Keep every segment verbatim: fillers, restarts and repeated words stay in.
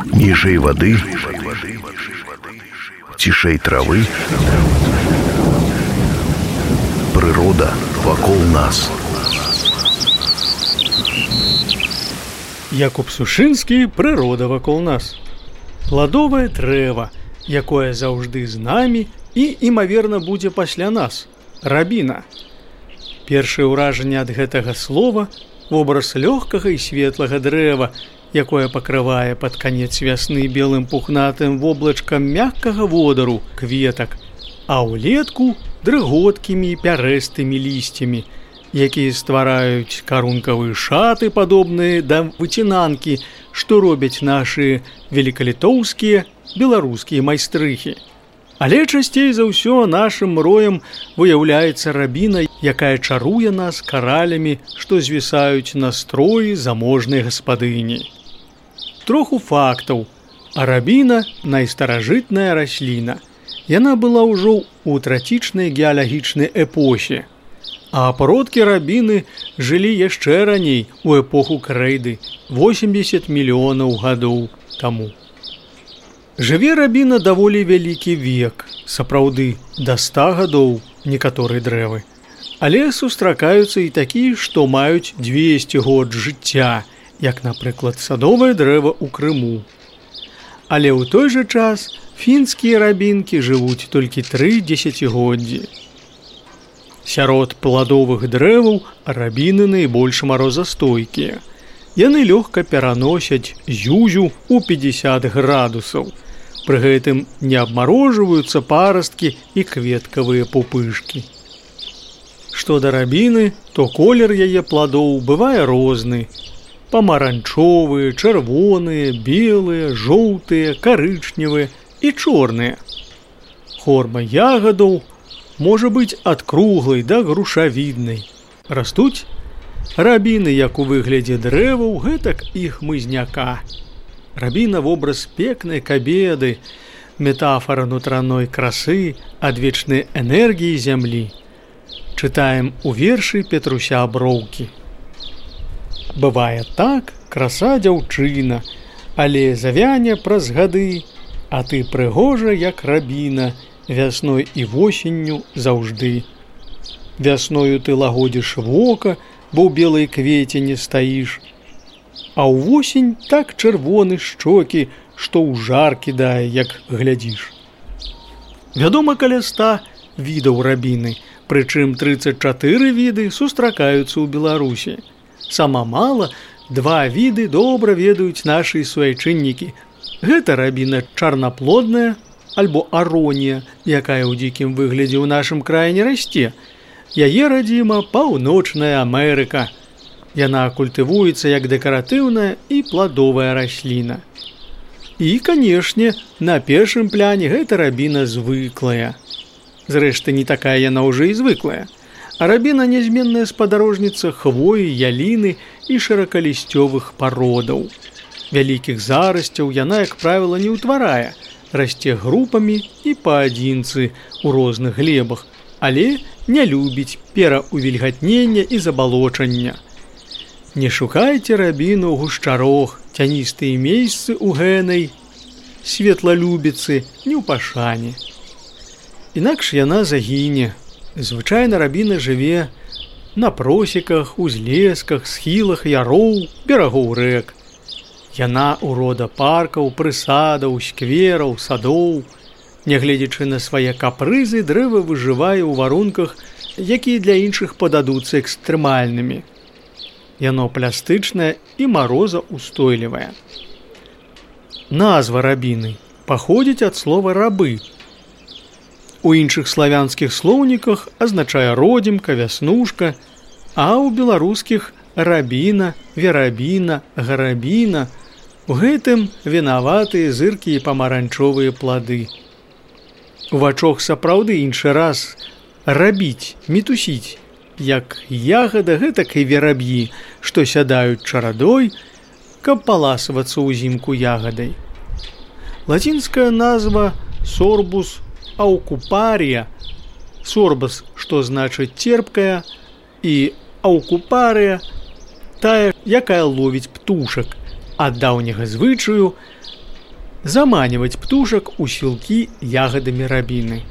Ніжэй вады, цішэй травы, прырода вакол нас. Якуб Сушынскі «Прырода вакол нас». Пладовае дрэва, якое заўжды з намі і, імаверна, будзе пасля нас. Рабіна. Першае ўражанне ад гэтага слова – вобраз лёгкага і светлага дрэва, якое пакрывае пад канец вясны белым пухнатым воблачкам мяккага водару, кветак, а ўлетку – дрыготкімі і пярэстымі лісцямі, якія ствараюць карункавыя шаты, падобныя да выцінанкі, што робяць нашы велікалітоўскія, беларускія майстрыхі. Але часцей за ўсё нашым роем выяўляецца рабіна, якая чаруе нас каралямі, што звісаюць на строі заможнай гаспадыні. Троху фактаў. А рабіна – найстаражытная расліна. Яна была ўжо ў трацічнай геалагічнай эпохі. А продкі рабіны жылі яшчэ раней, у эпоху крэйды, восемьдесят мільёнаў гадоў таму. Жыве рабіна даволі вялікі век, сапраўды, да ста гадоў некаторыя дрэвы. Але сустракаюцца і такія, што маюць дзвесце год жыцця, як, напрыклад, садовае дрэва ў Крыму. Але ў той жа час фінскія рабінкі жывуць толькі тры дзесяцігоддзі. Сярод пладовых дрэваў рабіны найбольш марозастойкія. Яны лёгка пераносяць зюзю ў пятьдесят градусаў. Пры гэтым не абмарожваюцца парасткі і кветкавыя пупышкі. Што да рабіны, то колер яе пладоў бывае розны. Памаранчовыя, чырвоныя, белыя, жоўтыя, карычневыя і чорныя. Форма ягадаў можа быць ад круглай да грушавіднай. Растуць рабіны як у выглядзе дрэваў, гэтак і хмызняка. Рабіна – вобраз пекнай кабеды, метафара нутраной красы, адвечнай энергіі зямлі. Чытаем у вершы Петруся Броўкі. Бывае так, краса дзяўчына, але завяне праз гады, а ты прыгожа, як рабіна, вясной і восенню заўжды. Вясною ты лагодзіш вока, бо ў белай квеце не стаіш. А ўвосень так чырвоны шчокі, што ў жар кідае, як глядзіш. Вядома, каля ста відаў рабіны, прычым трыццаць чатыры віды сустракаюцца ў Беларусі. Сама мала, два віды добра ведаюць нашы суайчыннікі. Гэта рабіна чарнаплодная, альбо аронія, якая ў дзікім выглядзе ў нашым краі не расце. Яе радзіма Паўночная Амерыка. Яна культывуецца як дэкаратыўная і пладовая расліна. І, канешне, на першым пляне гэта рабіна звыклая. Зрэшты, не такая яна ўжо і звыклая. А рабіна нязменная спадарожніца хвоі, яліны і шыракалісцёвых пародаў. Вялікіх зарасцяў яна, як правіла, не ўтварае, расце групамі і паадзінцы ў розных глебах, але не любіць пераўвільгатнення і забалочання. Не шукайце рабіну ў гушчарох, цяністыя месцы ў гэнай, светлалюбіцы не ў пашане. Інакш яна загіне. Звычайна рабіна жыве на просеках, узлесках, схілах яроў, берагоў рэк. Яна ўрода паркаў, прысадаў, сквераў, садоў. Нягледзячы на свае капрызы, дрэва выжывае ў варунках, якія для іншых пададуцца экстрэмальнымі. Яно пластычнае і марозаўстойлівае. Назва рабіны паходзіць ад слова рабы. У іншых славянскіх слоўніках азначае родзімка, вяснушка, а ў беларускіх рабіна, верабіна, гарабіна. У гэтым вінаватыя зыркі і памаранчовыя плады. У вачох сапраўды іншы раз рабіць, мітусіць, як ягада, гэтак і вераб'і, што сядаюць чарадой, каб паласавацца ўзімку ягадай. Лацінская назва сорбус аукупарія, сорбас, што значыць терпкая, і аукупарія, тая, якая ловіць птушак. Ад даўняга звычаю заманивать птушак у сілкі ягадамі рабіны.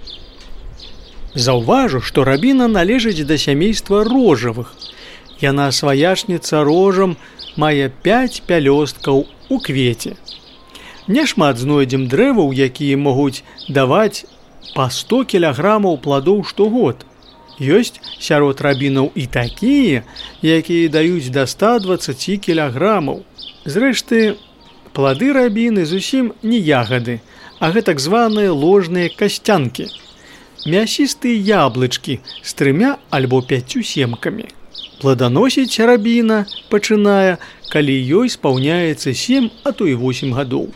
Заўважу, што рабіна належыць да сямейства рожавых. Яна сваячніца рожам, мае пяць пялёсткаў у квеце. Няшмат знойдзем дрэваў, якія могуць даваць па сто кілаграмаў пладоў штогод. Ёсць сярод рабінаў і такія, якія даюць да ста дваццаці кілаграмаў. Зрэшты, плады рабіны зусім не ягады, а гэта так званыя ложныя касцянкі. Мясістыя яблычкі з трымя альбо пяццю семкамі. Пладаносіць рабіна пачынае, калі ёй спаўняецца сем, а то і восем гадоў.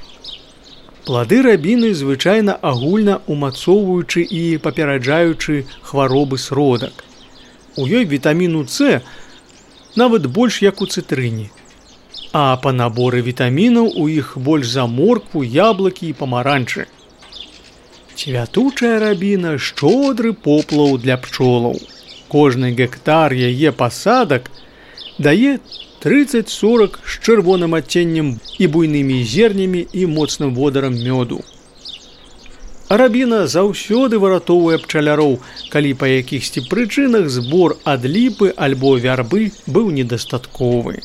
Плады рабіны звычайна агульна умацоўваючы і папераджаючы хваробы сродак. У ёй вітаміну С нават больш як у цытрыне. А па наборы вітамінаў у іх больш за моркву, яблыкі і памаранчы. Цвятучая рабіна – шчодры поплаў для пчолаў. Кожны гектар яе пасадак дае трыццаць-сорак з чырвоным адценнем і буйнымі зернямі і моцным водарам мёду. Рабіна заўсёды выратоўвае пчаляроў, калі па якіхсьці прычынах збор ад ліпы альбо вярбы быў недастатковы.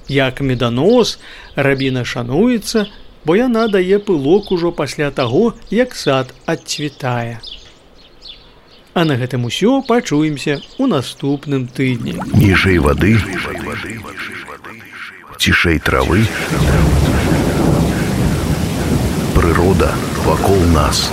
Як меданос, рабіна шануецца, бо яна дае пылок ужо пасля таго, як сад адцвітае. А на гэтым усё, пачуемся ў наступным тыдні. Ніжэй вады, цішэй травы, прырода вакол нас.